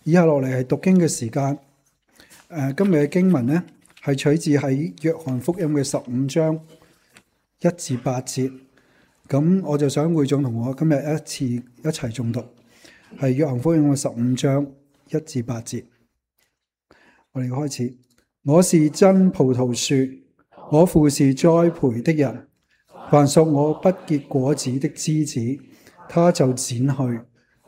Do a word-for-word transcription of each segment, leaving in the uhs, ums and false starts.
以下落嚟係讀經嘅時間。誒，今日嘅經文呢係取自喺約翰福音嘅十五章一至八節。咁我就想會眾同我今日一次一齊誦讀，係約翰福音嘅十五章一至八節。我哋開始。我是真葡萄樹，我父是栽培的人。凡屬我不結果子的枝子，他就剪去；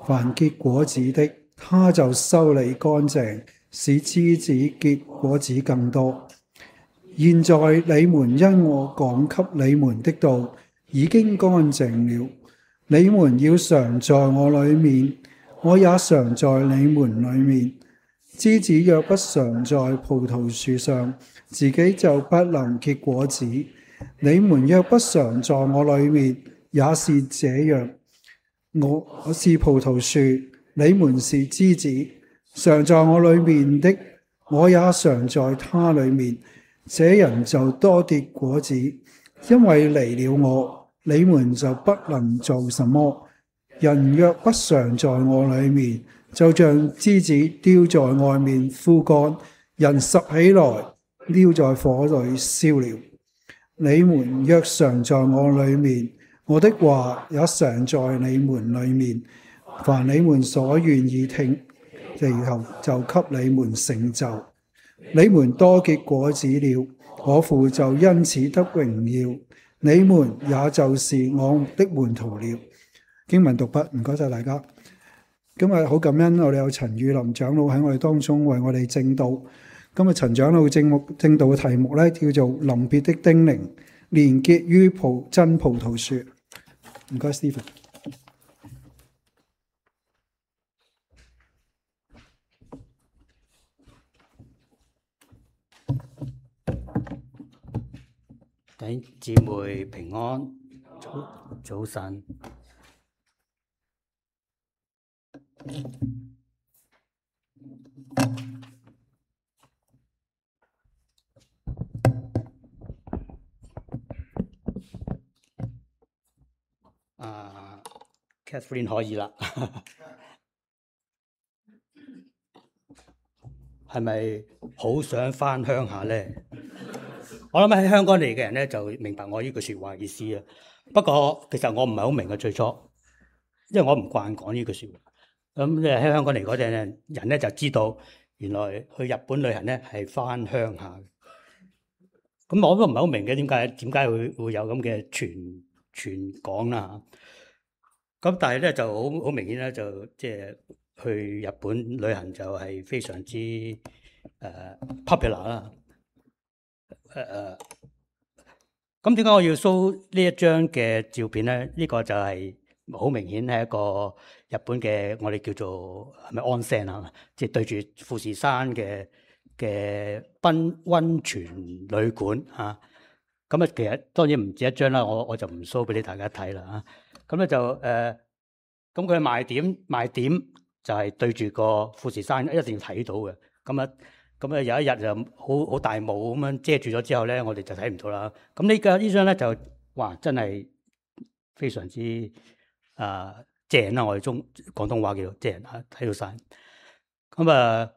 凡結果子的，他就修理乾淨，使枝子結果子更多。現在你們因我講給你們的道已經乾淨了，你們要常在我裏面，我也常在你們裏面。枝子若不常在葡萄樹上，自己就不能結果子。你們若不常在我裏面，也是這樣。我我是葡萄樹，你們是枝子。常在我裏面的，我也常在他裏面。這人就多結果子，因為離了我，你們就不能做什麼。人若不常在我裏面，就像枝子丟在外面枯乾，人拾起來丟在火裏燒了。你們若常在我裏面，我的話也常在你們裏面。凡你們所願意聽，其後就給你們成就。你們多結果子了，我父就因此得榮耀。你們也就是我的門徒了。經文讀畢，唔該晒大家。今日好感恩，我哋有陳宇林長老喺我哋當中為我哋證道。今日陳長老證目證道嘅題目咧叫做臨別的叮嚀，連結於葡真葡萄樹。唔該 Stephen。弟兄姊妹平安，早早晨。啊 ，Catherine 可以啦，係咪好想返鄉下咧？我諗喺香港嚟嘅人咧就明白我呢句説話意思啊。不過其實我唔係好明嘅最初，因為我唔慣講呢句説話。咁即係喺香港嚟嗰陣人咧就知道，原來去日本旅行咧係返鄉下。咁我都唔係好明嘅，點解點解會會有咁嘅傳傳講啦？咁但係咧就好好明顯咧，就即係去日本旅行就係非常之誒、uh, popular 啦。誒誒，咁點解我要 show 呢一張嘅照片咧？呢、呢個就係好明顯係一個日本嘅我哋叫做係咪 onsen 啊？即係對住富士山嘅嘅溫溫泉旅館啊！咁啊，其實當然唔止一張啦，我我就唔 show 俾你大家睇啦啊！咁咧就誒，咁佢賣點賣點就係對住個富士山一定要睇到嘅。咁啊，咁啊有一日就好好大霧咁樣遮住咗之後咧，我哋就睇唔到啦。咁呢個呢張咧就哇真係非常之啊正啦！我哋中廣東話叫做正啊，睇到晒。咁啊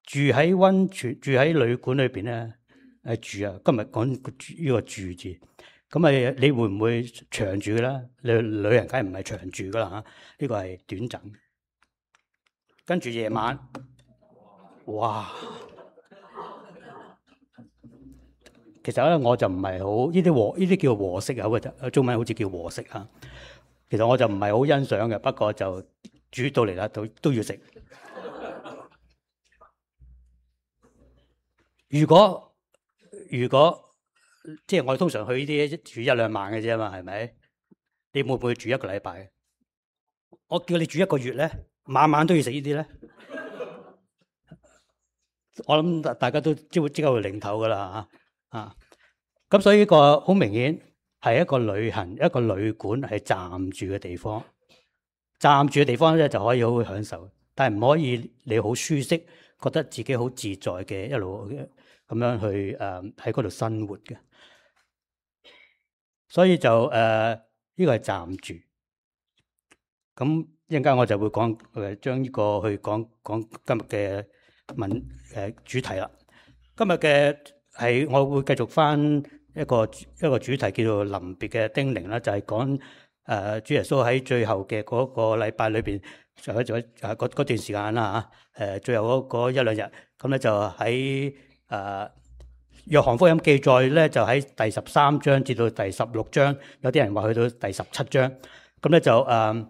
住喺溫泉住喺旅館裏邊咧誒住啊，今日講呢個住字。咁啊，你會唔會長住嘅咧？你旅行梗係唔係長住噶啦嚇？呢個係短暫。跟住夜晚，哇！其實咧，我就唔係好呢啲和呢啲叫和式啊，或中文好似叫和式啊。其實我就唔係好欣賞嘅，不過就煮到嚟啦，都都要食。如果如果即係我哋通常去呢啲住一兩晚嘅啫嘛，係咪？你會唔會住一個禮拜？我叫你住一個月咧，晚晚都要食呢啲咧。我諗大家都即會即刻會擰頭噶啦嚇啊！咁所以呢個好明顯係一個旅行一個旅館係暫住嘅地方，暫住嘅地方咧就可以好好享受，但係唔可以你好舒適，覺得自己好自在嘅一路咁樣去誒喺嗰度生活嘅。所以就誒呢、呃這個係暫住。咁一陣間我就會講誒，將呢個去講講今日嘅文誒、呃、主題啦。今日嘅係我會繼續翻一個一個主題叫做臨別嘅叮嚀啦，就係講誒主耶穌喺最後嘅嗰個禮拜裏邊，就喺咗誒嗰嗰段時間啦嚇誒，最後嗰嗰一兩日，咁咧就喺誒、呃、約翰福音記載咧，就喺第十三章至到第十六章，有啲人話去到第十七章，咁咧就誒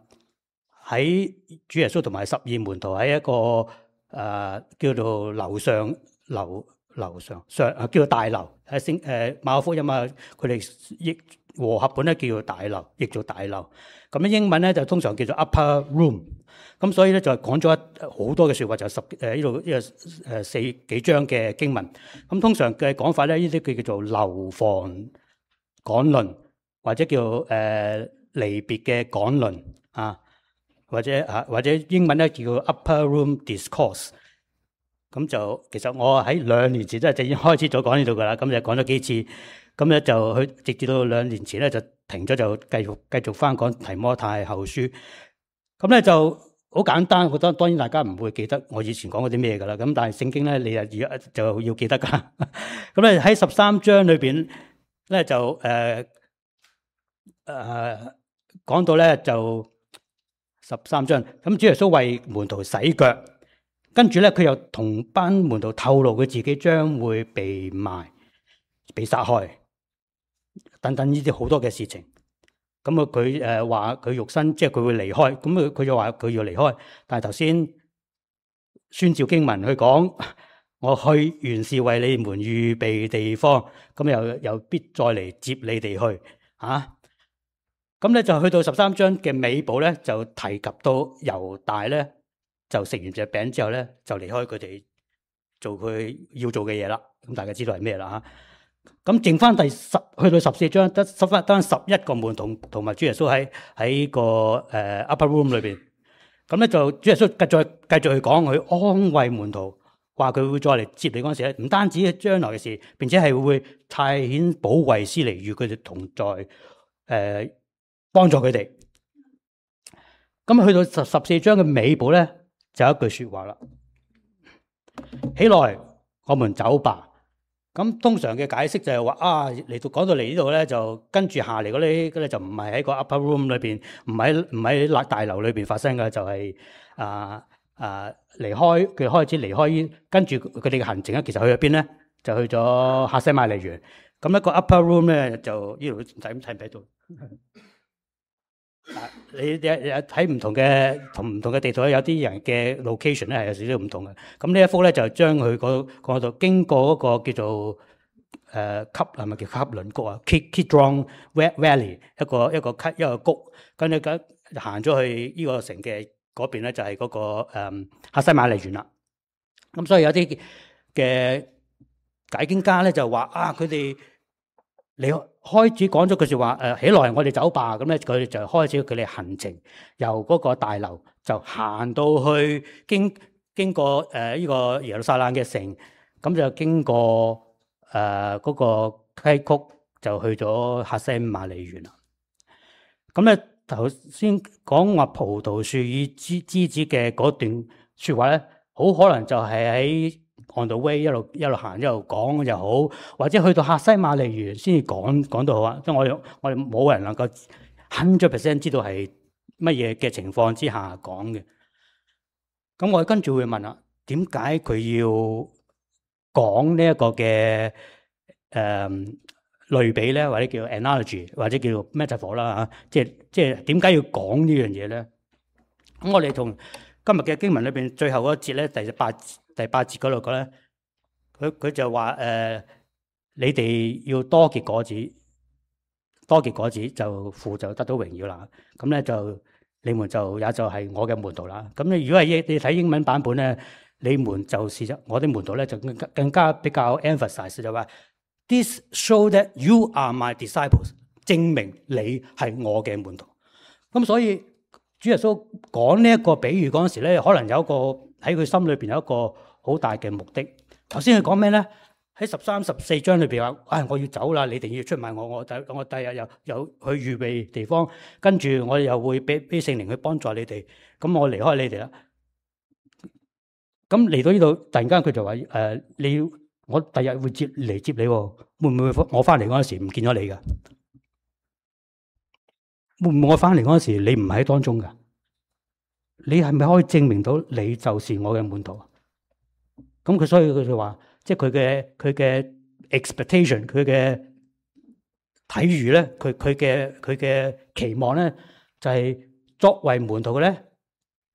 喺、呃、主耶穌同埋十二門徒喺一個誒、呃、叫做樓上樓。樓上上啊，叫做大樓。誒聖誒馬可福音啊，佢哋譯和合本咧叫做大樓，譯做大樓。咁咧英文咧就通常叫做 upper room。咁所以咧就係講咗好多嘅説話，就十誒呢度呢個誒四幾章嘅經文。咁通常嘅講法咧，呢啲叫叫做樓房講論，或者叫誒、呃、離別嘅講論啊，或者啊或者英文咧叫 upper room discourse。咁就其實我喺兩年前真係就已經開始咗講呢度噶啦，咁就講咗幾次，咁咧就去直至到兩年前咧就停咗，就繼續繼續翻講提摩太後書。咁咧就好簡單，我覺得當然大家唔會記得我以前講過啲咩噶啦，咁但係聖經咧你啊而家就要記得噶。咁咧喺十三章裏邊咧就誒誒、呃呃、講到咧就十三章，咁主耶穌為門徒洗腳。跟住咧，佢又同班門徒透露佢自己將會被賣、被殺害等等呢啲好多嘅事情。咁啊，佢誒話佢肉身即係佢會離開，咁佢佢就話佢要離開。但係頭先宣召經文去講，我去原是為你們預備地方，咁又又必再嚟接你哋去啊。咁咧就去到十三章嘅尾部咧，就提及到猶大咧。就食完隻餅之後咧，就離開佢哋做佢要做嘅嘢啦。咁大家知道係咩啦嚇？咁剩翻第十去到十四章，得十翻得十一個門徒同埋主耶穌喺喺個誒 upper room 裏邊。咁咧就主耶穌繼續繼續去講佢安慰門徒，話佢會再嚟接你嗰陣時咧，唔單止係將來嘅事，並且係會派遣保惠師嚟與佢哋同在，誒、呃、幫助佢哋。咁去到十十四章嘅尾部咧。就有一句說話啦，起來，我們走吧。咁通常嘅解釋就係話啊，嚟到講到嚟呢度咧，就跟住下嚟嗰啲咧就唔係喺個 upper room 裏邊，唔喺唔喺大樓裏邊發生嘅，就係、是、啊啊離開佢開始離開，跟住佢哋嘅行程咧，其實去咗邊咧？就去咗客西馬尼園。咁一個 upper room 咧，就呢度睇睇唔睇到？啊！你你睇唔同嘅同唔同嘅地圖咧，有啲人嘅 location 咧係有少少唔同嘅。咁呢一幅咧就將佢嗰嗰度經過嗰個叫做誒汲係咪叫汲倫谷啊 Kidron Valley 一個一個級一個谷，跟住咁行咗去呢個城嘅嗰邊咧就係嗰個誒客西馬尼園啦。咁所以有啲嘅解經家咧就話啊，佢哋你開始講咗句説話，誒起來，我哋走吧。咁咧，佢哋就開始佢哋行程，由嗰個大樓就行到去經經過誒呢個耶路撒冷嘅城，咁就經過誒嗰個溪谷，就去咗客西馬尼園啦。咁咧頭先講話葡萄樹與枝枝子嘅嗰段説話咧，好可能就係喺on the way 一路一路行一路講又好，或者去到客西馬尼園先至講講到好啊！即係我哋我哋冇人能夠hundred percent知道係乜嘢嘅情況之下講嘅。咁我哋跟住會問啦，點解佢要講呢一個嘅誒、呃、類比咧，或者叫 analogy， 或者叫 metaphor 啦嚇？即係即係點解要講呢樣嘢咧？咁我哋同今日嘅經文裏邊最後嗰節咧，第八第八節嗰度講咧，佢佢就話誒、呃，你哋要多結果子，多結果子就父就得到榮耀啦。咁咧就你們就也就係我嘅門徒啦。咁你如果係你睇英文版本咧，你們就是我啲門徒咧，就更加更加比較 emphasize 就話 ，This show that you are my disciples，證明你係我嘅門徒。咁所以主耶穌講呢一個比喻嗰陣時咧，可能有一個喺佢心裏邊有一個好大嘅目的。頭先佢講咩咧？喺十三、十四章裏邊話：唉，我要走啦，你哋要出賣我，我第我第日又又去預備地方，跟住我又會俾俾聖靈去幫助你哋，咁我離開你哋啦。咁嚟到呢度，突然間佢就話：誒、呃，你要我第日會接嚟接你喎，會唔會我翻嚟嗰陣時唔見咗你㗎？會唔會我翻嚟嗰陣時你唔喺當中㗎？你係咪可以證明到你就是我嘅門徒？咁佢所以佢就話，即係佢嘅佢嘅 expectation，佢嘅體預咧，佢佢嘅佢嘅期望咧，就係、是、作為門徒嘅咧，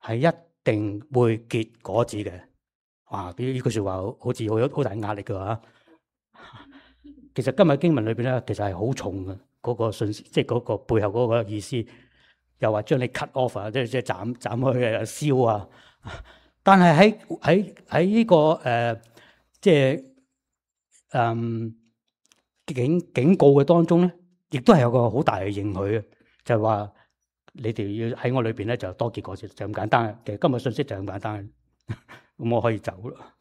係一定會結果子嘅。哇！呢呢句説話好似好有好大壓力嘅嚇。其實今日經文裏邊咧，其實係好重嘅嗰、那個信息，即係嗰個背後嗰個意思。又話將你 cut off 啊，即係即係斬斬開啊，燒啊！但係喺喺喺呢個誒、呃，即係誒警警告嘅當中咧，亦都係有個好大嘅應許嘅，就係話你哋要喺我裏邊咧就多結果子，就咁簡單。其實今日信息就咁簡單，咁我可以走啦。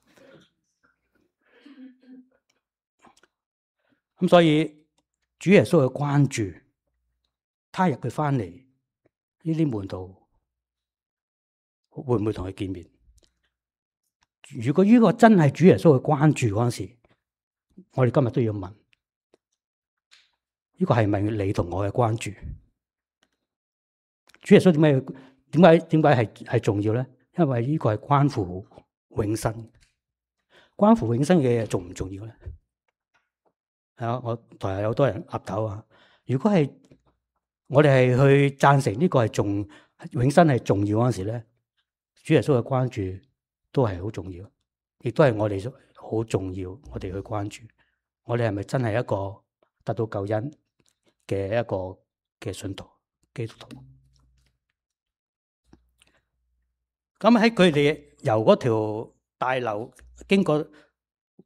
咁所以主耶穌嘅關注，他日佢翻嚟，呢啲門徒會唔會同佢見面？如果呢個真係主耶穌嘅關注嗰陣時，我哋今日都要問：呢個係咪你同我嘅關注？主耶穌點解點解點解係係重要咧？因為呢個係關乎永生，關乎永生嘅嘢重唔重要咧？係啊，我台下有好多人岌頭啊！如果係我哋係去贊成呢個係重永生係重要嗰陣時咧，主耶穌嘅關注都係好重要，亦都係我哋好重要，我哋去關注我哋係咪真係一個得到救恩嘅一個嘅信徒基督徒？咁喺佢哋由嗰條大樓經過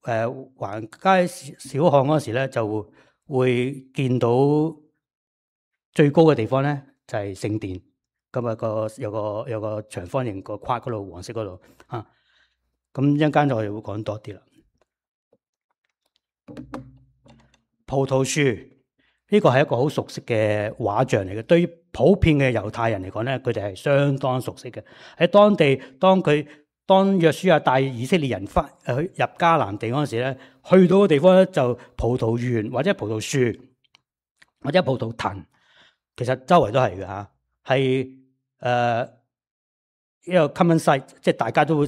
誒橫街小巷嗰時咧，就會見到最高嘅地方咧就係聖殿。咁啊個有個有個長方形個框嗰度，黃色嗰度啊。咁一陣間我哋會講多啲啦。葡萄樹呢個係一個好熟悉嘅畫像嚟嘅，對於普遍嘅猶太人嚟講咧，佢哋係相當熟悉嘅。喺當地，當佢當約書亞帶以色列人翻去入迦南地嗰陣時咧，去到嘅地方咧就葡萄園或者葡萄樹或者葡萄藤，其實周圍都係嘅嚇，係誒一個 common sight，即係大家都會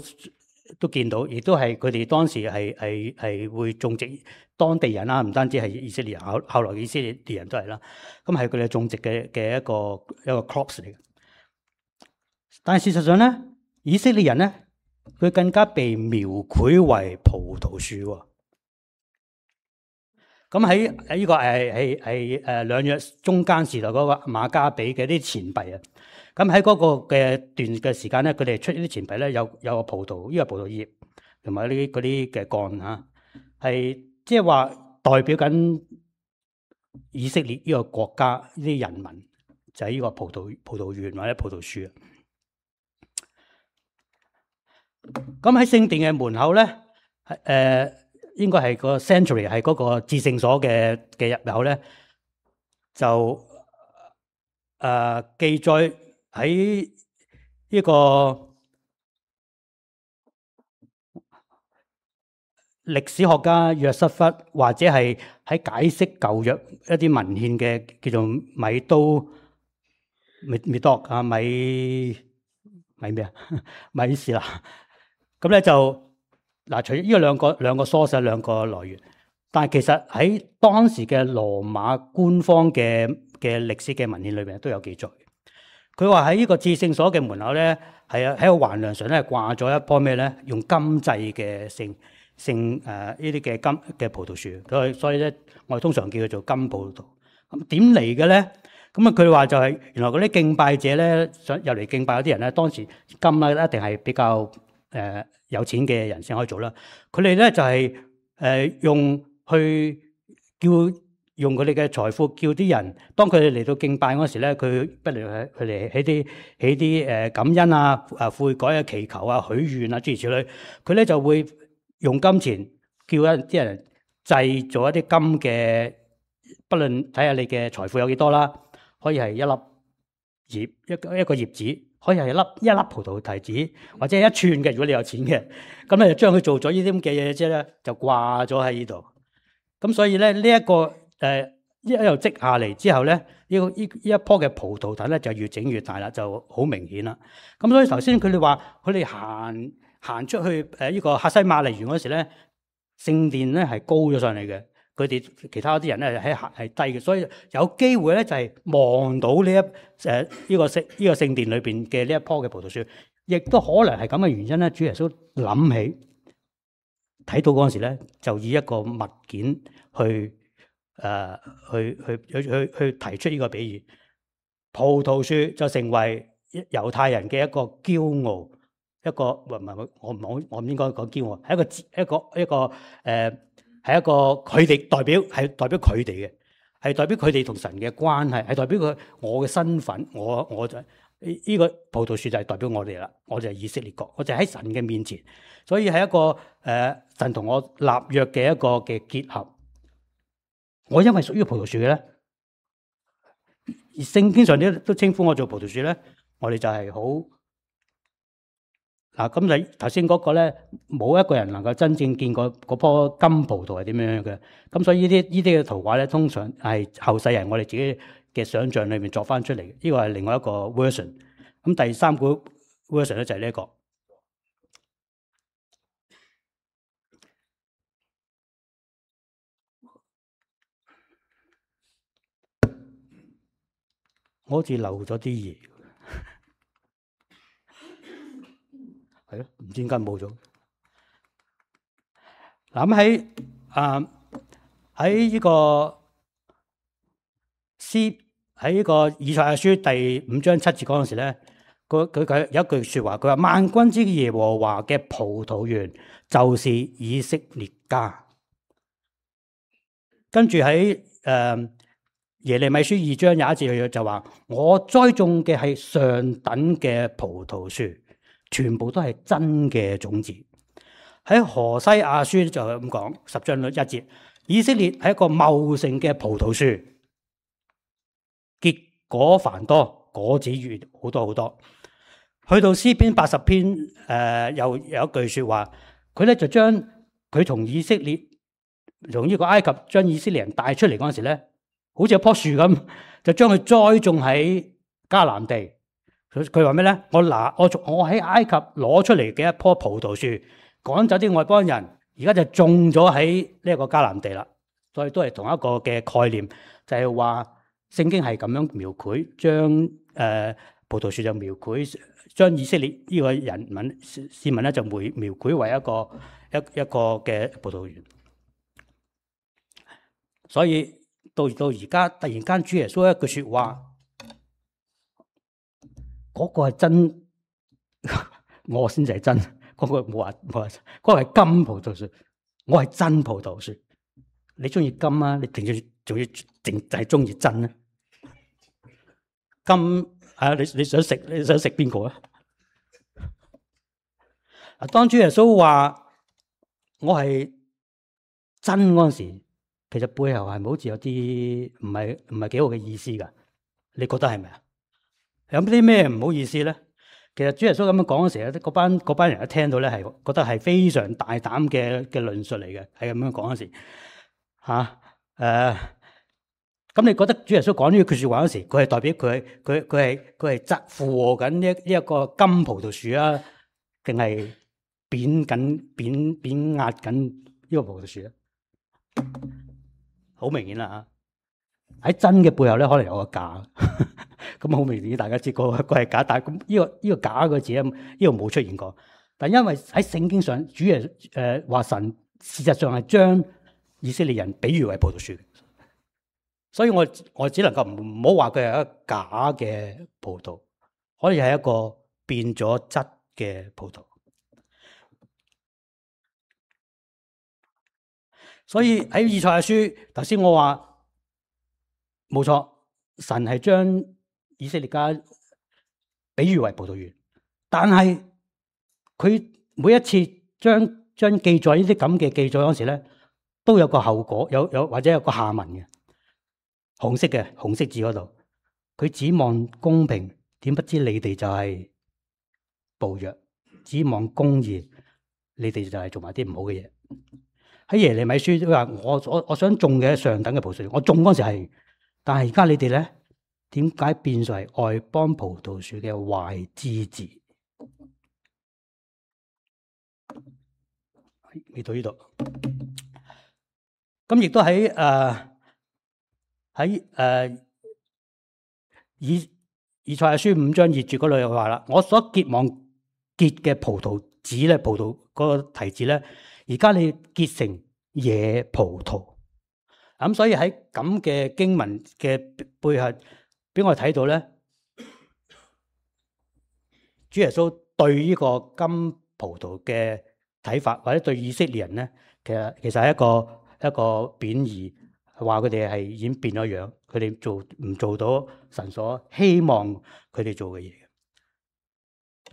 都見到，亦都係佢哋當時係係係會種植當地人啦，唔單止係以色列人，後後來以色列人都係啦。咁係佢哋種植嘅嘅一個一個 crops 嚟嘅。但係事實上咧，以色列人咧，佢更加被描繪為葡萄樹喎。咁喺喺呢個係係係誒兩約中間時代嗰個馬加比嘅啲錢幣啊。咁喺嗰個嘅段嘅時間咧，佢哋出呢啲錢幣咧，有有個葡萄，呢個葡萄葉同埋呢啲嗰啲嘅幹嚇，係即係話代表緊以色列呢個國家呢啲人民，就係呢個葡萄葡萄園或者葡萄樹啊。咁喺聖殿嘅門口咧，誒、呃、應該係個 sanctuary 係嗰個至聖所嘅嘅入口咧，就誒、呃、記載。喺呢個歷史學家約瑟夫，或者係喺解釋舊約一啲文獻嘅叫做米都米米多啊米米咩啊米士啦，咁咧就嗱，除咗呢個兩個兩個 source 兩個來源，但係其實喺當時嘅羅馬官方嘅嘅歷史嘅文獻裏邊都有記載。佢話喺呢個至聖所嘅門口咧，係啊喺個橫梁上咧掛咗一棵咩咧？用金製嘅聖聖誒呢啲嘅金嘅葡萄樹，佢所以咧我哋通常叫佢做金葡萄。咁點嚟嘅咧？咁啊佢話就係、是、原來嗰啲敬拜者咧想入嚟敬拜嗰啲人咧，當時金咧一定係比較誒、呃、有錢嘅人先可以做啦。佢哋咧就係、是、誒、呃、用去叫。用佢哋嘅財富叫啲人，當佢哋嚟到敬拜嗰時咧，佢不如佢哋起啲起啲誒感恩啊、啊悔改啊、祈求啊、許願啊諸如此類，佢咧就會用金錢叫一啲人製造一啲金嘅，不論睇下你嘅財富有幾多啦，可以係一粒葉一個一個葉子，可以係一粒一粒葡萄提子，或者係一串嘅。如果你有錢嘅，咁咧就將佢做咗呢啲咁嘅嘢之後咧，就掛咗喺呢度。咁所以咧呢一個誒一一路積下嚟之後咧，呢個呢呢一棵嘅葡萄藤咧就越整越大啦，就好明顯啦。咁所以頭先佢哋話佢哋行行出去誒呢個客西馬尼園嗰時咧，聖殿咧係高咗上嚟嘅，佢哋其他啲人咧喺係低嘅，所以有機會咧就係望到呢一誒呢個聖呢個聖殿裏邊嘅呢一棵嘅葡萄樹，亦都可能係咁嘅原因咧。主耶穌諗起睇到嗰陣時咧，就以一個物件去誒、呃、去去去去去提出呢個比喻，葡萄樹就成為猶太人嘅一個驕傲。一個唔係唔係我唔我我唔應該講驕傲，係一個一個一個誒，係、呃、一個佢哋代表係代表佢哋嘅，係代表佢哋同神嘅關係，係代表佢我嘅身份，我我就呢、呢個葡萄樹就係代表我哋啦，我就係以色列國，我就喺神嘅面前，所以係一個誒、呃、神同我立約嘅一個嘅結合。我因為屬於葡萄樹嘅咧，而聖經上啲都稱呼我做葡萄樹咧，我哋就係好。嗱，咁你頭先嗰個咧，冇一個人能夠真正見過嗰棵金葡萄係點樣嘅。咁所以呢啲呢啲嘅圖畫咧，通常係後世人我哋自己嘅想像裏面作翻出嚟。呢個係另外一個 version。咁第三個 version 咧就係呢一個。我好似漏咗啲嘢。係咯，唔知點解冇咗。嗱，咁喺啊喺呢個詩喺呢個以賽亞書第五章七節嗰陣時咧，佢佢佢有一句説話，佢話萬軍之耶和華嘅葡萄園就是以色列家。跟住喺誒耶利米書二章廿一節就話：我栽種嘅係上等嘅葡萄樹。全部都係真嘅種子。喺何西阿書就係咁講，十章一節，以色列係一個茂盛嘅葡萄樹，結果繁多，果子越好多好多。去到詩篇八十篇，誒、呃、又有一句說話，佢咧就將佢從以色列，從呢個埃及將以色列人帶出嚟嗰陣時咧，好似一棵樹咁，就將佢栽種喺迦南地。佢佢話咩咧？我拿我從我喺埃及攞出嚟嘅一棵葡萄樹，趕走啲外邦人，而家就種咗喺呢一個迦南地啦。所以都係同一個嘅概念，就係話聖經係咁樣描繪，將誒、呃、葡萄樹就描繪，將以色列呢個人民市民咧就描描繪為一個一一個嘅葡萄園。所以到到而家突然間主耶穌一句説話。嗰個係真，我先至係真。嗰、那個冇話冇話，嗰、那個係金葡萄樹，我係真葡萄樹。你中意金啊？你定要仲要淨就係中意真咧？金啊！你你想食你想食邊個啊？啊！當主耶穌話我係真嗰陣時，其實背後係咪好似有啲唔係唔係幾好嘅意思㗎？你覺得係咪啊？有啲咩唔好意思咧？其實主耶穌咁樣講嘅時候，嗰班嗰班人一聽到咧，係覺得係非常大膽嘅嘅論述嚟嘅，係咁樣講嗰時嚇誒。咁你覺得主耶穌講呢句説話嗰時，佢係代表佢佢佢係佢係責附和緊呢呢一個金葡萄樹啊，定係貶緊貶貶壓緊呢個葡萄樹咧？好明顯啦嚇！喺真嘅背後咧，可能有個假。咁好明顯，大家知個個係假，但係咁呢個呢個假個字咧，呢度冇出現過。但因為喺聖經上，主耶誒話神事實上係將以色列人比喻為葡萄樹，所以我我只能夠唔唔好話佢係一個假嘅葡萄，可以係一個變咗質嘅葡萄。所以喺以賽亞書，頭先我話冇錯，神係將以色列家比喻為葡萄園，但係佢每一次將將記載呢啲咁嘅記載嗰時咧，都有個後果，有有或者有個下文嘅，紅色嘅紅色字嗰度，佢指望公平，點不知你哋就係暴虐；指望公義，你哋就係做埋啲唔好嘅嘢。喺耶利米書都話：我我我想種嘅上等嘅葡萄樹，我種嗰時係，但係而家你哋咧，點解變為外邦葡萄樹嘅壞枝子？嚟到呢度，咁亦都喺誒喺誒以以賽亞書五章二節嗰度又話啦：我所結望結嘅葡萄籽咧，葡萄嗰個提子咧，而家你結成野葡萄。咁所以喺咁嘅經文嘅背後，俾我哋睇到咧，主耶穌對呢個金葡萄嘅睇法，或者對以色列人咧，其實其實係一個一個貶義，話佢哋係已經變咗樣，佢哋做唔做到神所希望佢哋做嘅嘢。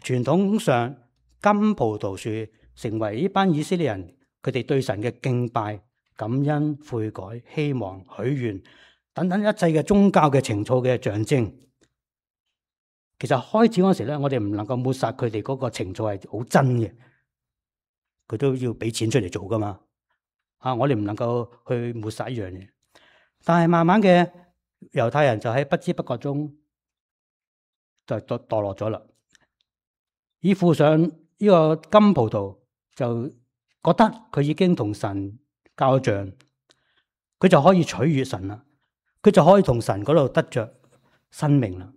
傳統上，金葡萄樹成為呢班以色列人佢哋對神嘅敬拜、感恩、悔改、希望、許願等等一切嘅宗教嘅情操嘅象徵。其實開始嗰時咧，我哋唔能夠抹殺佢哋嗰個情操係好真嘅，佢都要俾錢出嚟做噶嘛。啊，我哋唔能夠去抹殺一樣嘢。但係慢慢嘅猶太人就喺不知不覺中就墮墮落咗啦。以附上呢個金葡萄，就覺得佢已經同神交賬，佢就可以取悅神啦，佢就可以同神嗰度得着生命啦。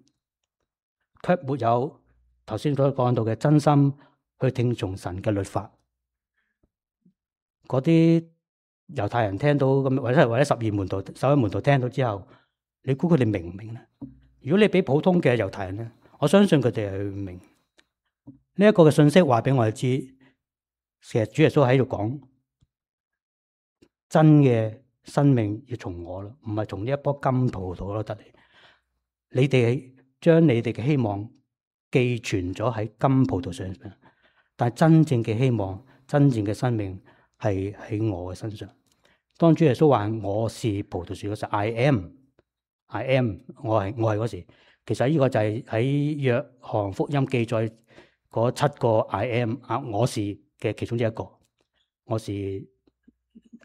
卻沒有頭先所講到嘅真心去聽從神嘅律法。嗰啲猶太人聽到咁，或者或者十二門徒、十一門徒聽到之後，你估佢哋明唔明咧？如果你俾普通嘅猶太人咧，我相信佢哋係唔明。呢一個嘅信息話俾我哋知，其實主耶穌喺度講，真嘅生命要從我咯，唔係從呢一棵金葡萄咯得嚟。你哋將你哋嘅希望寄存咗喺金葡萄上面，但係真正嘅希望、真正嘅生命係喺我嘅身上。當主耶穌話我是葡萄樹嗰時 ，I am，I am，我係我係嗰時。其實呢個就係喺約翰福音記載嗰七個 I am 啊，我是嘅其中之一個，我是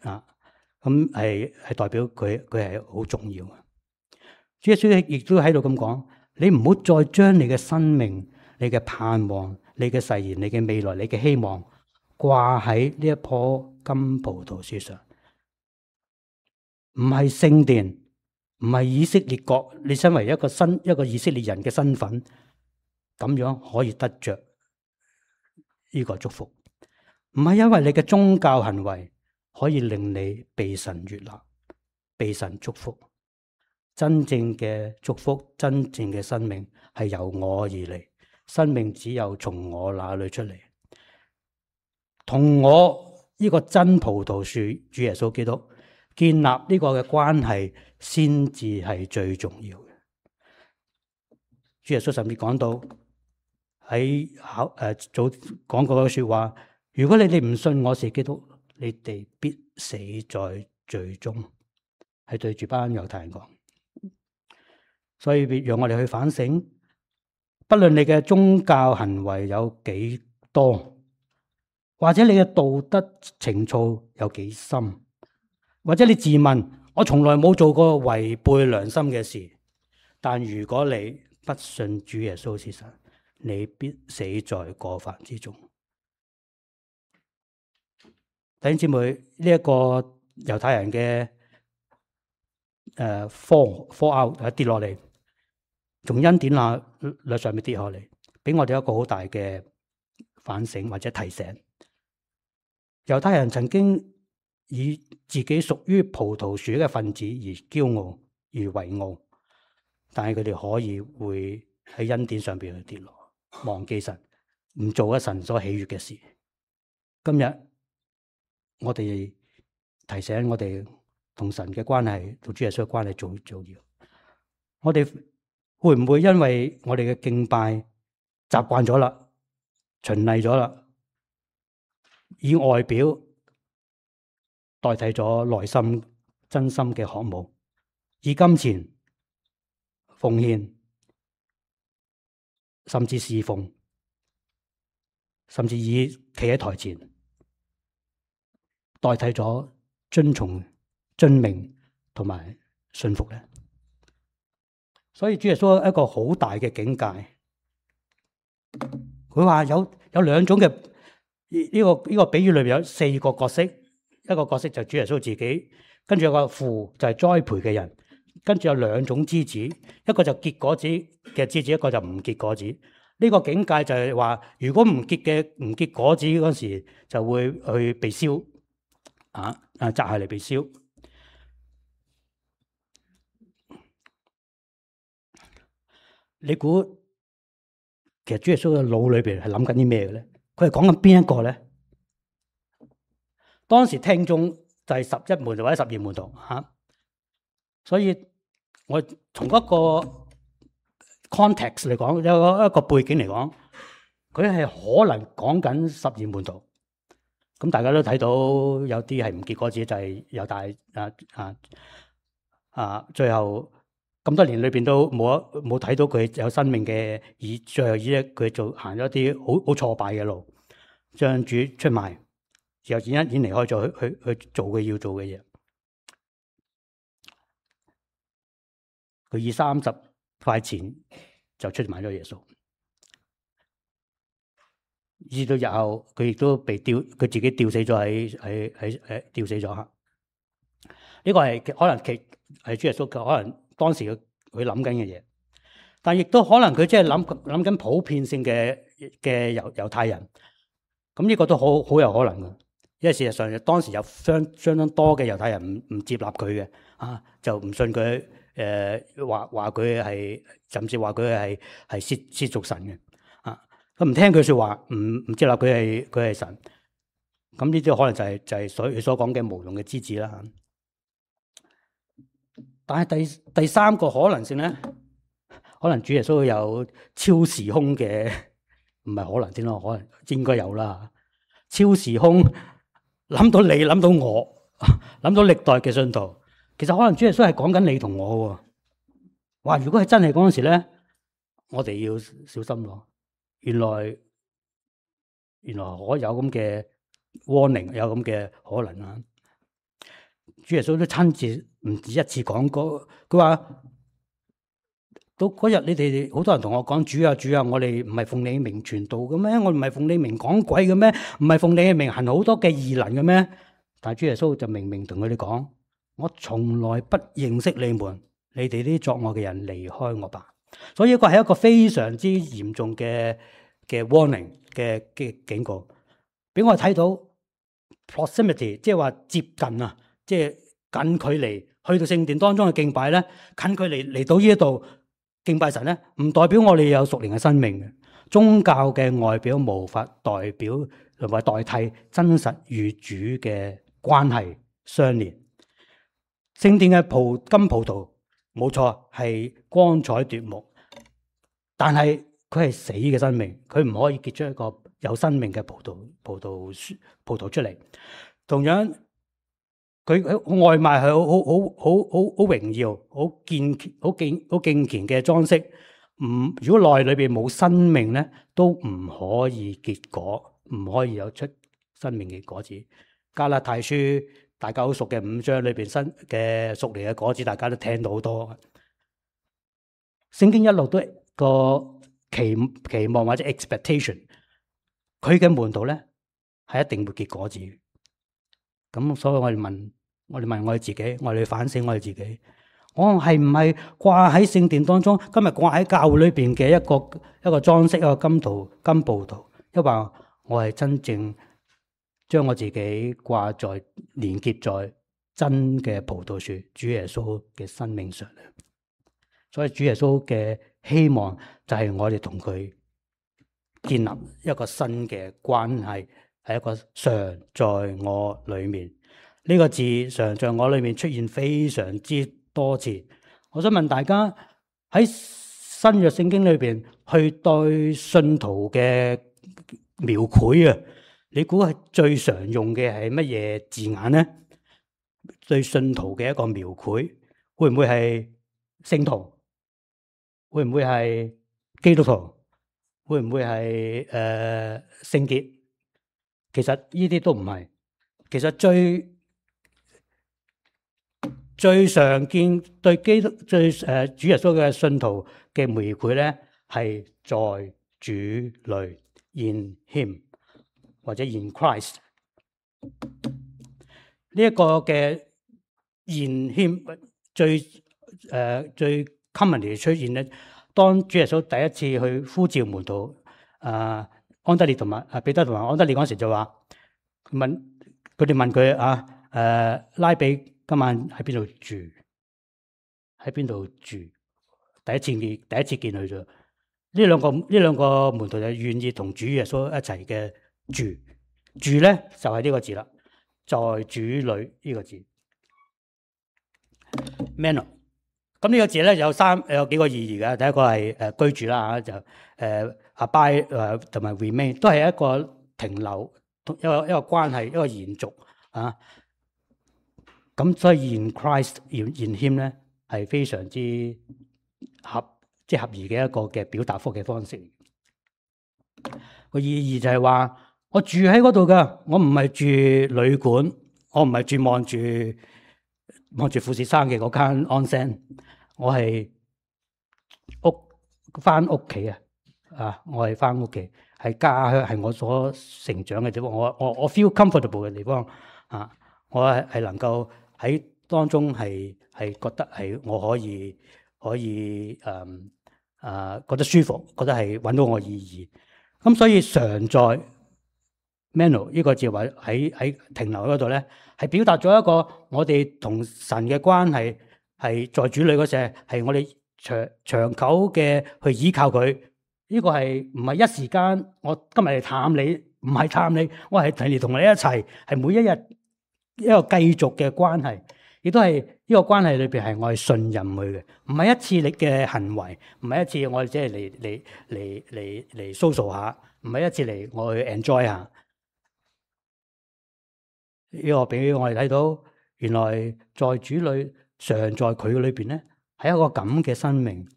啊，咁係係代表佢佢係好重要嘅。主耶穌亦都喺度咁講。你唔好再將你嘅生命、你嘅盼望、你嘅誓言、你嘅未來、你嘅希望掛喺呢一棵金葡萄樹上，唔係聖殿，唔係以色列國。你身為一個新一個以色列人嘅身份，咁樣可以得着呢個祝福，唔係因為你嘅宗教行為可以令你被神悅納、被神祝福。真正嘅祝福，真正嘅生命係由我而嚟，生命只有從我那裏出嚟，同我呢個真葡萄樹主耶穌基督建立呢個嘅關係，先至係最重要嘅。主耶穌甚至講到喺考誒早講過嘅說話，如果你哋唔信我是基督，你哋必死在罪中，係對住班猶太人講。所以讓我哋去反省，不論你嘅宗教行為有幾多，或者你嘅道德情操有幾深，或者你自問我從來冇做過違背良心嘅事，但如果你不信主耶穌是神，你必死在過犯之中。弟兄姊妹，呢、這、一個猶太人嘅誒 fall fall out 跌落嚟。從恩典那律上面跌下嚟，俾我哋一個好大嘅反省或者提醒。猶太人曾經以自己屬於葡萄樹嘅分子而驕傲而為傲，但係佢哋可以會喺恩典上邊去跌落，忘記神，唔做一神所喜悅嘅事。今日我哋提醒我哋同神嘅關係，同主耶穌嘅關係最重要。我哋會唔會因為我哋嘅敬拜習慣咗啦、循例咗啦，以外表代替咗內心真心嘅渴慕，以金錢奉獻，甚至侍奉，甚至以企喺台前代替咗遵從、遵命同埋信服咧。所以主耶穌一個好大嘅境界，佢話有有兩種嘅呢、這個呢、這個比喻裏邊有四個角色，一個角色就係主耶穌自己，跟住有個父就係栽培嘅人，跟住有兩種枝子，一個就結果子嘅枝子，一個就唔結果子。呢、這個境界就係話，如果唔結嘅唔結果子嗰時，就會去被燒，啊啊摘下嚟被燒。你估其實主耶穌嘅腦裏邊係諗緊啲咩嘅咧？佢係講緊邊一個咧？當時聽眾就係十一門徒或者十二門徒吓、啊，所以我從一個 context 嚟講，有一個背景嚟講，佢係可能講緊十二門徒。咁大家都睇到有啲係唔結果子，就係猶大啊啊啊，最後。咁多年裏邊都冇冇睇到佢有生命嘅，以最後以咧佢做行咗一啲好好挫敗嘅路，將主出賣，然後已經已經離開咗去去去做佢要做嘅嘢。佢以三十塊錢就出賣咗耶穌，至到日後佢亦都被吊，佢自己吊死咗喺喺喺誒吊死咗吓。呢、這個係可能其係主耶穌可能。當時佢佢諗緊嘅嘢，但亦都可能佢即係諗諗緊普遍性嘅嘅猶猶太人，咁呢個都好好有可能嘅，因為事實上當時有相相當多嘅猶太人唔唔接納佢嘅，啊就唔信佢，誒話話佢係甚至話佢係係褻褻瀆神嘅，啊咁唔聽佢説話，唔唔接納佢係佢係神，咁呢啲可能就係、是、就係、是、所佢所講嘅無用嘅枝子啦。但係第第三個可能性咧，可能主耶穌有超時空嘅，唔係可能先咯，可能應該有啦。超時空諗到你，諗到我，諗到歷代嘅信徒，其實可能主耶穌係講緊你同我喎。哇！如果係真係嗰陣時咧，我哋要小心咯。原來原來可有咁嘅 warning，有咁嘅可能啊！主耶穌都親自唔止一次講過，佢話到嗰日你哋好多人同我講，主啊主啊，我哋唔係奉你名傳道嘅咩？我唔係奉你名講鬼嘅咩？唔係奉你嘅名行好多嘅異能嘅咩？但係主耶穌就明明同佢哋講，我從來不認識你們，你哋啲作惡嘅人離開我吧。所以呢個係一個非常之嚴重嘅嘅 warning 嘅嘅警告，俾我睇到 proximity， 即係話接近啊。即係近距離去到聖殿當中嘅敬拜咧，近距離嚟到呢一度敬拜神咧，唔代表我哋有屬靈嘅生命嘅。宗教嘅外表無法代表同埋代替真實與主嘅關係相連。聖殿嘅葡金葡萄冇錯係光彩奪目，但係佢係死嘅生命，佢唔可以結出一個有生命嘅葡萄葡萄樹葡萄出嚟。同樣。佢外賣係好好好好好好榮耀、好健好敬好敬虔嘅裝飾。唔，如果內裏邊冇生命咧，都唔可以結果，唔可以有出生命嘅果子。加拉太書大家好熟嘅五章裏邊新嘅屬靈嘅果子，大家都聽到好多。聖經一路都個期期望或者 expectation，佢嘅門徒咧係一定會結果子。咁所以我哋問。我哋問我哋自己，我哋反省我哋自己，我係唔係掛喺聖殿當中？今日掛喺教會裏邊嘅一個一個裝飾，一個金圖金葡萄，因為我係真正將我自己掛在連結在真嘅葡萄樹主耶穌嘅生命上。所以主耶穌嘅希望就係我哋同佢建立一個新嘅關係，係一個常在我裏面。呢個字常在我裏面出現非常之多次。我想問大家喺新約聖經裏邊去對信徒嘅描繪啊，你估係最常用嘅係乜嘢字眼咧？對信徒嘅一個描繪，會唔會係聖徒？會唔會係基督徒？會唔會係誒聖潔？其實呢啲都唔係。其實最最常見對基督最誒、呃、主耶穌嘅信徒嘅描繪咧，係在主裏 in Him 或者 in Christ 呢一個嘅 in Him 最誒、呃、最 commonly 出現咧。當主耶穌第一次去呼召門徒，啊、呃、安德烈同埋啊彼得同埋安德烈嗰時就話問佢哋問佢啊誒、呃、拉比今晚喺邊度住？喺邊度住？第一次見第一次見佢咗。呢兩個呢兩個門徒就願意同主耶穌一齊嘅住住咧，就係、是、呢個字啦，在主裏呢個字 Meno。咁呢個字咧有三有幾個意義嘅。第一個係誒居住啦嚇，就誒 abide 誒同埋 remain 都係一個停留，一個一個關係，一個延續啊。咁所以 in Christ in in Him 咧係非常之合即係合宜嘅一個嘅表達方嘅方式。個意義就係話我住喺嗰度噶，我唔係住旅館，我唔係住望住望住富士山嘅嗰間 onsen，我係屋翻屋企啊！啊，我係翻屋企，係家鄉，係我所成長嘅地方。我我我 feel comfortable 嘅地方啊！我係係能夠喺當中係係覺得係我可以可以誒啊、嗯呃、覺得舒服，覺得係揾到我意義。咁所以常在 Meno 呢個字話喺喺停留嗰度咧，係表達咗一個我哋同神嘅關係係在主裏嗰時係我哋長長久嘅去依靠佢。呢個係唔係一時間？我今日嚟探你，唔係探你，我係嚟同你一齊，係每一日一個繼續嘅關係，亦都係呢個關係裏邊係我係信任佢嘅，唔係一次你嘅行為，唔係一次我哋即係嚟嚟嚟嚟嚟 social 下，唔係一次嚟我去 enjoy 下。呢個俾我哋睇到，原來在主裏常在佢裏邊咧，係一個咁嘅生命。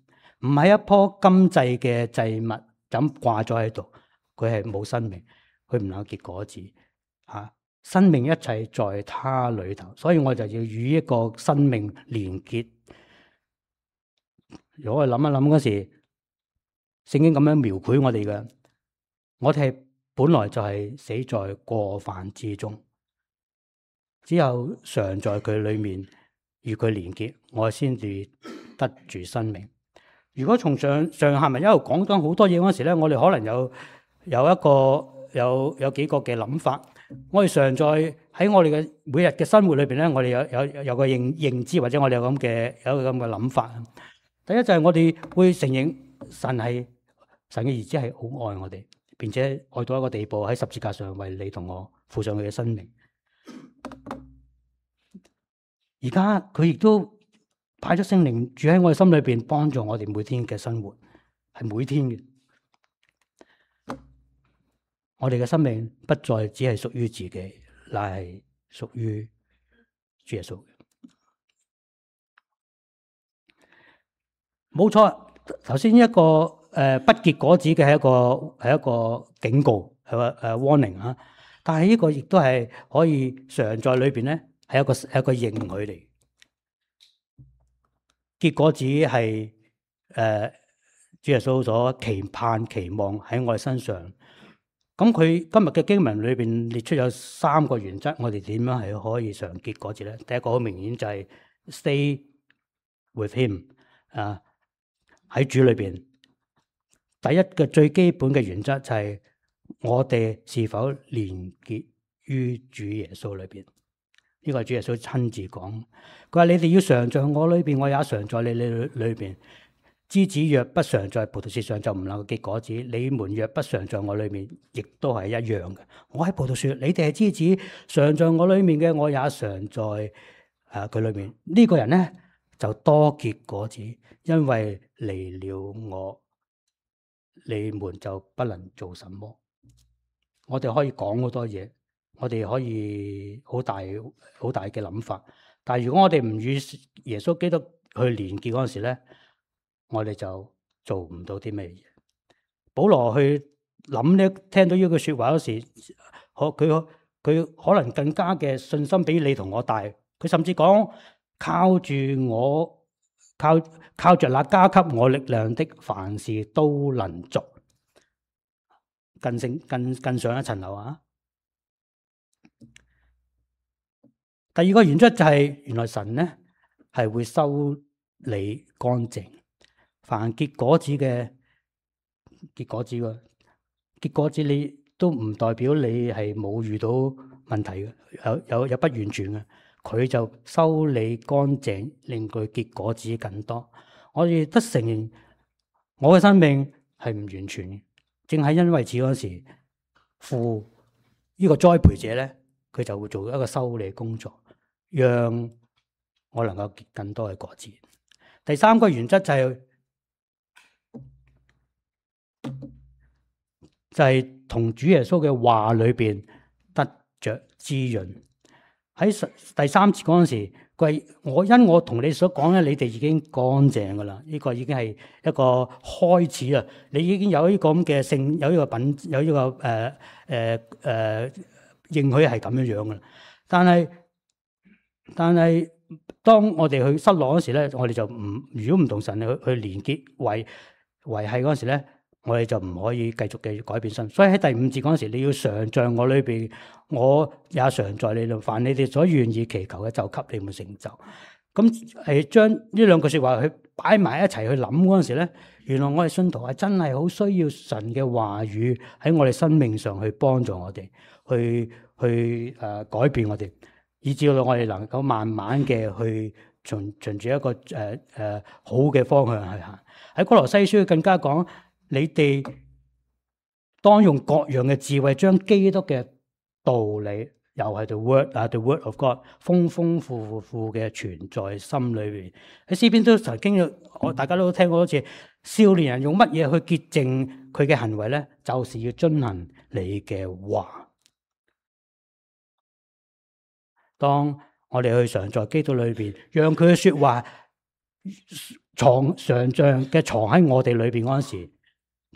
唔係一棵金製嘅祭物，咁掛咗喺度，佢係冇生命，佢唔能夠結果子。吓、啊，生命一切在他裏頭，所以我就要與一個生命連結。如果我諗一諗嗰時，聖經咁樣描繪我哋嘅，我哋係本來就係死在過犯之中，只有常在佢裏面與佢連結，我先至得住生命。如果從上上下文一路講咗好多嘢嗰時咧，我哋可能有有一個有有幾個嘅諗法。我哋常在喺我哋嘅每日嘅生活裏邊咧，我哋有有有個認認知，或者我哋有咁嘅有一個咁嘅諗法。第一就係我哋會承認神係神嘅兒子，係好愛我哋，並且愛到一個地步喺十字架上為你同我付上佢嘅生命。而家佢亦都派咗聖靈住喺我哋心裏邊，幫助我哋每天嘅生活，係每天嘅。我哋嘅生命不再只係屬於自己，乃係屬於主耶穌嘅。冇錯，頭先一個誒、呃、不結果子嘅係一個係一個警告，係個誒 warning 啊。但係呢個亦都係可以常在裏邊咧，係一個係一個應許嚟。結果子係誒、呃、主耶穌所期盼期望喺我哋身上。咁佢今日嘅經文裏邊列出有三個原則，我哋點樣係可以常結果子咧？第一個好明顯就係 stay with him 啊，喺主裏邊。第一個最基本嘅原則就係我哋是否連結於主耶穌裏邊。呢個係主耶穌親自講，佢話你哋要常在我裏邊，我也常在你哋裏邊。枝子若不常在葡萄樹上，就唔能夠結果子。你們若不常在我裏面，亦都係一樣嘅。我喺葡萄樹，你哋係枝子，常在我裏面嘅，我也常在誒佢裏面。呢、這個人咧就多結果子，因為離了我，你們就不能做什麼。我哋可以講好多嘢，我哋可以好大好大嘅諗法。但係如果我哋唔與耶穌基督去連結嗰陣時咧，我哋就做唔到啲咩嘢。保羅去諗咧，聽到呢句説話嗰時，可佢佢可能更加嘅信心比你同我大。佢甚至講靠住我，靠靠著那加給我力量的，凡事都能做。更升更更上一層樓啊！第二個原則就係、是、原來神咧係會修理乾淨，凡結果子嘅結果子嘅結果子，你都唔代表你係冇遇到問題嘅，有有有不完全嘅，佢就修理乾淨，令佢結果子更多。我哋得承認我嘅生命係唔完全嘅，正係因為此嗰時父呢個栽培者咧，佢就會做一個修理工作，讓我能夠結更多嘅果子。第三個原則就係、是、就係、是、同主耶穌嘅話裏邊得着滋潤。喺第三節嗰陣時，佢我因我同你所講咧，你哋已經乾淨噶啦，呢、這個已經係一個開始啊！你已經有呢個咁嘅性，有呢個品，有呢、這個誒誒誒應許係咁樣樣噶啦。但係但係當我哋去失落嗰時咧，我哋就唔如果唔同神去去連結維維繫嗰時咧，我哋就唔可以繼續嘅改變身。所以喺第五節嗰時，你要常在我裏邊，我也常在你度。凡你哋所願意祈求嘅，就給你們成就。咁係將呢兩句說話去擺埋一齊去諗嗰陣時咧，原來我哋信徒係真係好需要神嘅話語喺我哋生命上去幫助我哋，去去誒、呃、改變我哋，以至到我哋能夠慢慢嘅去循循住一個誒誒、呃呃、好嘅方向去行。喺哥羅西書更加講，你哋當用各樣嘅智慧，將基督嘅道理，又係 the word 啊 the word of God， 豐豐富富嘅存在心裏邊。喺詩篇都曾經，我大家都聽過好似少年人用乜嘢去潔淨佢嘅行為咧？就是要遵行你嘅話。當我哋去常在基督裏邊，讓佢嘅說話藏常像嘅藏喺我哋裏邊嗰陣時，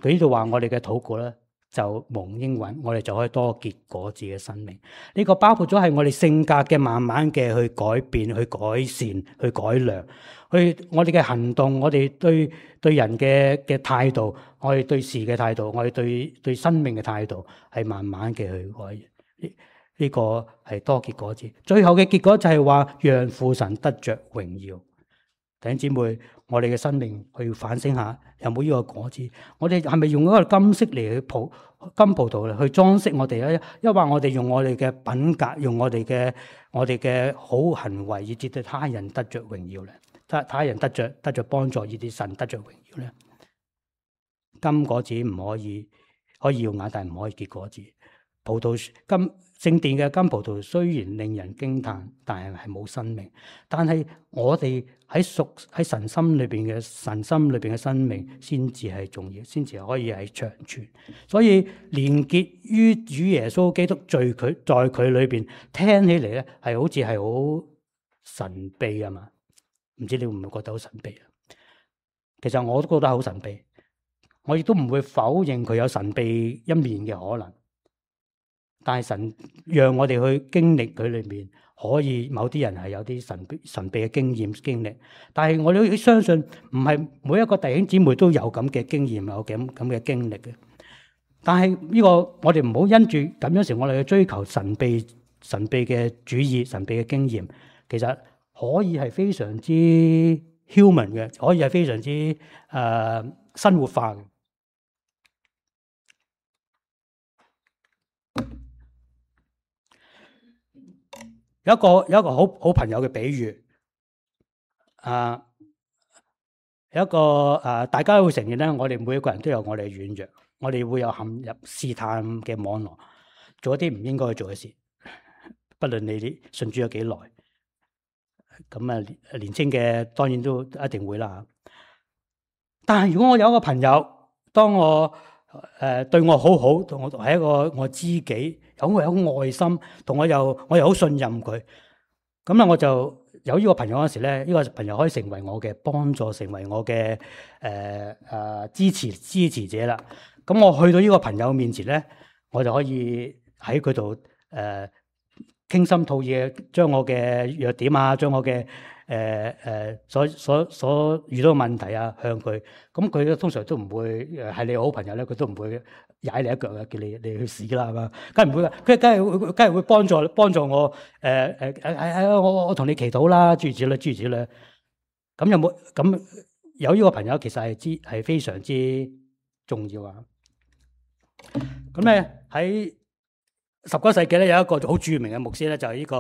佢呢度話我哋嘅禱告咧就蒙應允，我哋就可以多結果子嘅生命。呢、這個包括咗係我哋性格嘅慢慢嘅去改變、去改善、去改良，去我哋嘅行動，我哋對對人嘅嘅態度，我哋對事嘅態度，我哋對對生命嘅態度，係慢慢嘅去改。呢個係多結果子，最後嘅結果就係話讓父神得着榮耀。弟兄姊妹，我哋嘅生命去反省下，有冇呢個果子？我哋係咪用一個金色嚟去葡金葡萄嚟去裝飾我哋咧？抑或我哋用我哋嘅品格，用我哋嘅我哋嘅好行為，以至對他人得着榮耀咧？他他人得着得着幫助，以至神得着榮耀咧？金果子唔可以可以耀眼，但係唔可以結果子。葡萄金聖殿嘅金葡萄雖然令人驚嘆，但係係冇生命。但係我哋喺屬喺神心裏邊嘅神心裏邊嘅生命，先至係重要，先至可以係長存。所以連結於主耶穌基督，在佢在佢裏邊，聽起嚟咧係好似係好神秘啊嘛？唔知你會唔會覺得好神秘啊？其實我都覺得好神秘，我亦都唔會否認佢有神秘一面嘅可能。但係神讓我哋去經歷佢裏面，可以某啲人係有啲神秘神秘嘅經驗經歷。但係我哋都相信，唔係每一個弟兄姊妹都有咁嘅經驗，有咁咁嘅經歷嘅。但係呢個我哋唔好因住咁樣時，我哋去追求神秘神秘嘅主義、神秘嘅經驗，其實可以係非常之 human 嘅，可以係非常之誒、呃、生活化嘅。有一個有一個好好朋友嘅比喻，啊，有一個啊，大家會承認咧，我哋每一個人都有我哋嘅軟弱，我哋會有陷入試探嘅網絡，做一啲唔應該去做嘅事，不論你信主有幾耐，咁啊年青嘅當然都一定會啦。但係如果我有一個朋友，當我誒對我好好，同我係一個我知己，有有愛心，同我又我又好信任佢。咁咧我就有呢個朋友嗰時咧，呢、呢個朋友可以成為我嘅幫助，成為我嘅誒誒支持支持者啦。咁我去到呢個朋友面前咧，我就可以喺佢度誒傾心吐意，將我嘅弱點啊，將我嘅誒誒所所所遇到嘅問題啊向佢。咁佢咧通常都唔會誒係你好朋友咧，佢都唔會踩你一腳嘅，叫你你去死啦，係嘛？梗係唔會㗎，佢梗係會梗係會幫助幫助我誒誒誒誒我我我同你祈禱啦，諸如此類諸如此類。咁有冇咁有呢個朋友其實係之係非常之重要啊！咁咧喺十九世紀咧有一個好著名嘅牧師咧，就係呢個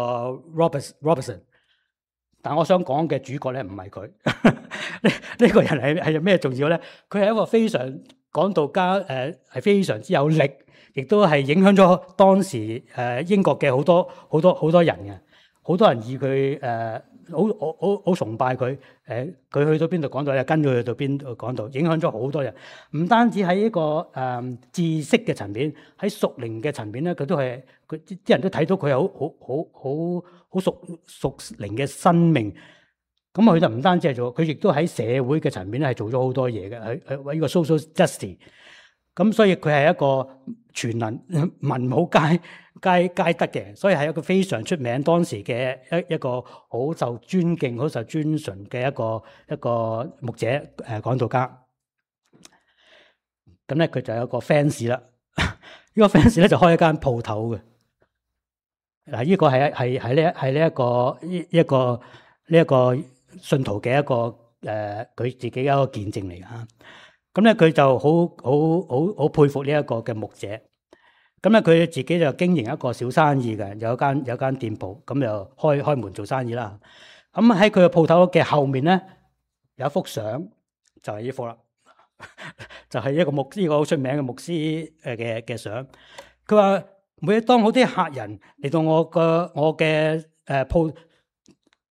Robert Robertson。但我想講嘅主角咧唔係佢，呢呢個人係係有咩重要咧？佢係一個非常講道家，誒係非常之有力，亦都係影響咗當時誒英國嘅好多好多好多人嘅，好多人以佢誒好好好好崇拜佢，誒佢去到邊度講道咧，跟佢去到邊度講道，影響咗好多人。唔單止喺一個誒知識嘅層面，喺屬靈嘅層面咧，佢都係佢啲人都睇到佢有好好好好好屬屬靈嘅生命。咁佢就唔單止係做，佢亦都喺社會嘅層面咧係做咗好多嘢嘅，喺喺為呢個 social justice。咁所以佢係一個全能文武皆皆皆得嘅，所以係一個非常出名當時嘅一一個好受尊敬、好受尊崇嘅一個一個牧者誒講道家。咁咧佢就有一個 fans 啦，呢個 fans 咧就開一間鋪頭嘅。嗱，呢個係係係呢係呢一個呢一個呢一個信徒嘅一個誒佢自己嘅一個見證嚟㗎。咁咧佢就好好好好佩服呢一個嘅牧者。咁咧佢自己就經營一個小生意嘅，有間有間店鋪，咁就開開門做生意啦。咁喺佢嘅鋪頭嘅後面咧有一幅相，就係呢幅啦，就係一個牧呢個好出名嘅牧師誒嘅嘅相。佢話每當好啲客人嚟到我個我嘅誒鋪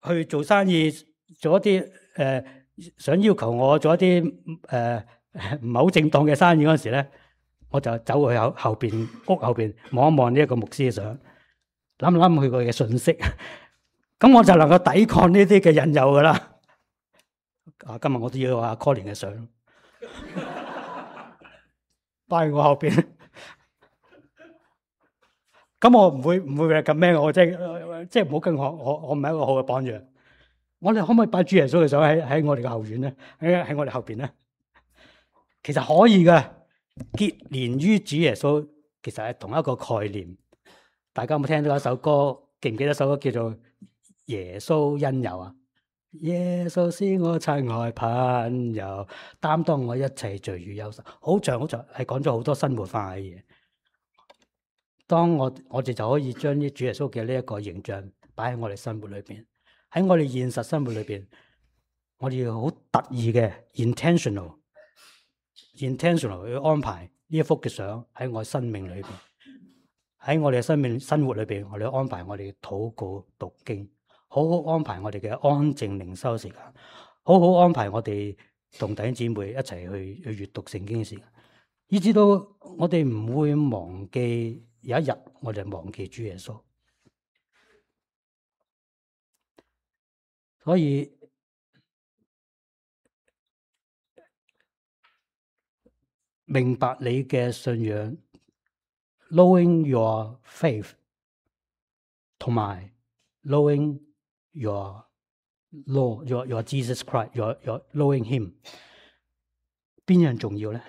去做生意，做一啲誒、呃、想要求我做一啲誒唔係好正當嘅生意嗰陣時咧，我就走去後後邊屋後邊望一望呢一個牧師嘅相，諗諗佢佢嘅信息，咁我就能夠抵抗呢啲嘅引誘噶啦。啊，今日我都要阿 Colin 嘅相，擺喺我後邊。咁我唔會唔會咁咩？我即係即係唔好跟我我我唔係一個好嘅榜樣。我哋可唔可以擺主耶穌嘅相喺喺我哋嘅後院咧？喺喺我哋後邊咧？其實可以嘅，結連於主耶穌，其實係同一個概念。大家有冇聽到一首歌？記唔記得一首歌叫做《耶穌恩友》啊？耶穌是我親愛朋友，擔當我一切罪與憂愁。好長好長，係講咗好多生活化嘅嘢。當我我哋就可以將啲主耶穌嘅呢一個形象擺喺我哋生活裏邊，喺我哋現實生活裏邊，我哋要好特意嘅 intentional。intentional 去安排呢一幅嘅相喺我生命裏邊，喺我哋嘅生命生活裏邊，我哋安排我哋嘅禱告讀經，好好安排我哋嘅安靜靈修時間，好好安排我哋同弟兄姊妹一齊去去閱讀聖經嘅時間，以至到我哋唔會忘記有一日我哋忘記主耶穌。所以明白你嘅信仰 ，knowing your faith， 同埋 knowing your Lord, your your Jesus Christ, your your knowing Him， 邊樣重要咧？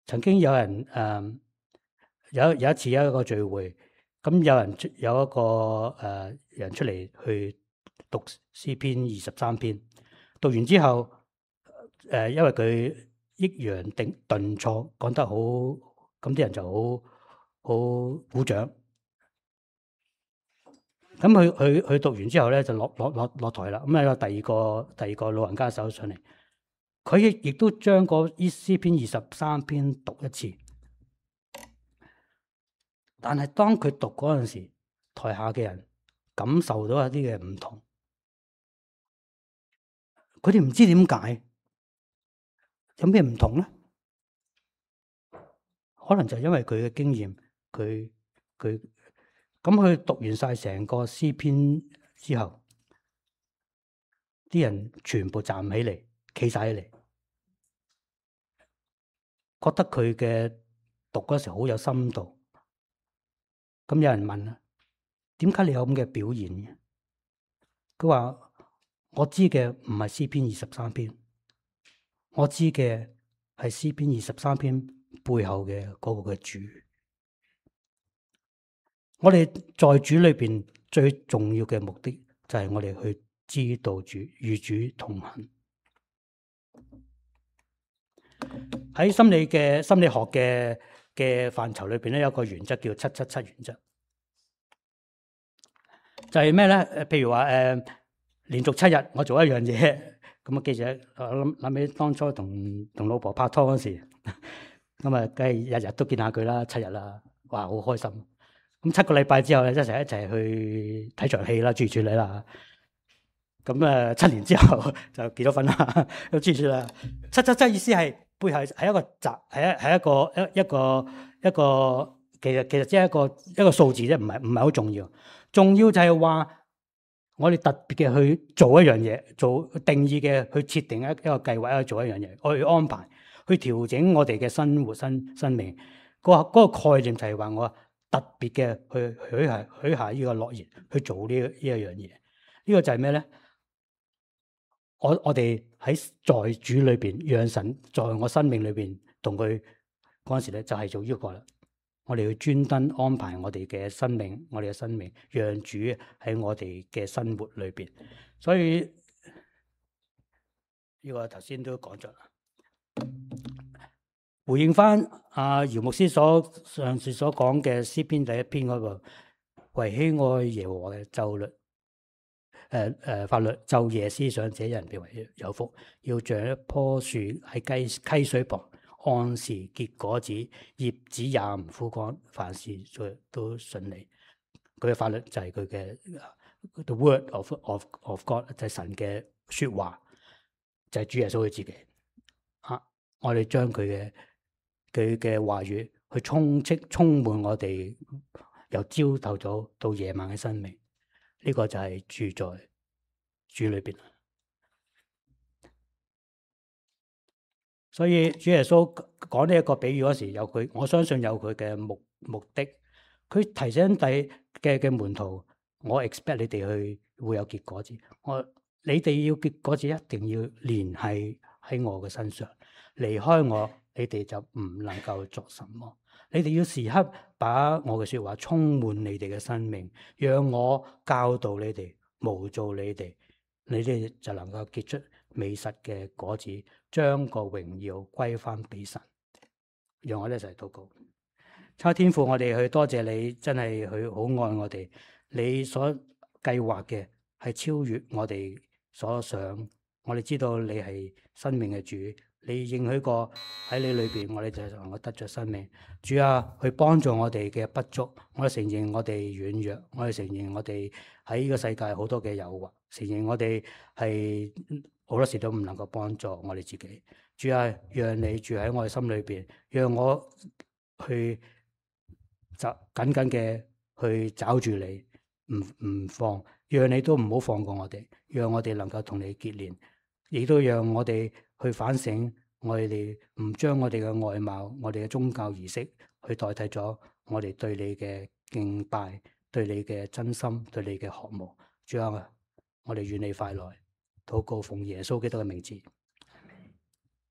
曾經有人誒、呃、有有一次有一個聚會，咁有人有一個誒、呃、人出嚟去讀詩篇二十三篇，讀完之後誒、呃，因為佢抑揚定頓挫，講得好，咁啲人就好好鼓掌。咁佢佢佢讀完之後咧，就落落落落台啦。咁啊，有第二個第二個老人家走上嚟，佢亦亦都將個《詩篇》二十三篇讀一次。但係當佢讀嗰陣時，台下嘅人感受到一啲嘅唔同，佢哋唔知點解，有咩唔同咧？可能就因為佢嘅經驗，佢佢咁佢讀完晒成個詩篇之後，啲人全部站起嚟，企晒起嚟，覺得佢嘅讀嗰時好有深度。咁有人問啦，點解你有咁嘅表現嘅？佢話：我知嘅唔係詩篇二十三篇，我知嘅係詩篇二十三篇背後嘅嗰個嘅主。我哋在主裏邊最重要嘅目的就係我哋去知道主，與主同行。喺心理嘅心理學嘅嘅範疇裏邊咧，有個原則叫七七七原則，就係咩咧？誒，譬如話誒、呃，連續七日我做一樣嘢，咁啊記住，我諗諗起當初同同老婆拍拖嗰時，咁啊梗係日日都見下佢啦，七日啦，哇，好開心。咁七個禮拜之後咧，一齊一齊去睇場戲啦，諸如此類啦。咁誒七年之後就結咗婚啦，咁諸如此類。七七七意思係背後係一個集，係一係一個一一個一個，其實其實只係一個一個數字啫，唔係唔係好重要。重要就係話我哋特別嘅去做一樣嘢，做定義嘅去設定一一個計劃，去做一樣嘢，去安排，去調整我哋嘅生活生生命。嗰個嗰個概念就係話我特別嘅去許下許下呢個諾言去做呢呢一樣嘢。呢個就係咩咧？我我哋喺在主裏邊，讓神在我生命裏邊同佢嗰陣時咧，就係做呢個啦。我哋要專登安排我哋嘅生命，我哋嘅生命，讓主喺我哋嘅生活裏邊。所以呢個頭先都講咗啦。回應翻阿姚牧師所上次所講嘅詩篇第一篇嗰個，為喜愛耶和華嘅咒律。誒誒，法律晝夜思想，這人便為有福。要像一棵樹喺溪溪水旁，按時結果子，葉子也唔枯乾，凡事做都順利。佢嘅法律就係佢嘅 the word of of of God，就係神嘅說話，就係主耶穌佢自己。啊，我哋將佢嘅佢嘅話語去充斥充滿我哋由朝頭早到夜晚嘅生命。呢個就係住在主裏邊，所以主耶穌講呢一個比喻嗰時，有佢，我相信有佢嘅目目的。佢提醒第嘅嘅門徒，我 expect 你哋去會有結果子。我你哋要結果子，一定要連繫喺我嘅身上。離開我，你哋就唔能夠作什麼。你哋要時刻把我嘅說話充滿你哋嘅生命，讓我教導你哋，模造你哋，你哋就能夠結出美實嘅果子，將個榮耀歸翻俾神。讓我哋一齊禱告。差天父，我哋去多謝你，真係佢好愛我哋。你所計劃嘅係超越我哋所想。我哋知道你係生命嘅主。你應許過喺你裏邊，我哋就能夠得着生命。主啊，去幫助我哋嘅不足，我哋承認我哋軟弱，我哋承認我哋喺呢個世界好多嘅誘惑，承認我哋係好多時都唔能夠幫助我哋自己。主啊，讓你住喺我哋心裏邊，讓我去就緊緊嘅去找住你，唔唔放，讓你都唔好放過我哋，讓我哋能夠同你結連，亦都讓我哋去反省，我哋唔將我哋嘅外貌、我哋嘅宗教儀式去代替咗我哋對你嘅敬拜、對你嘅真心、對你嘅渴慕。主啊，我哋願你快來，禱告奉耶穌基督嘅名字。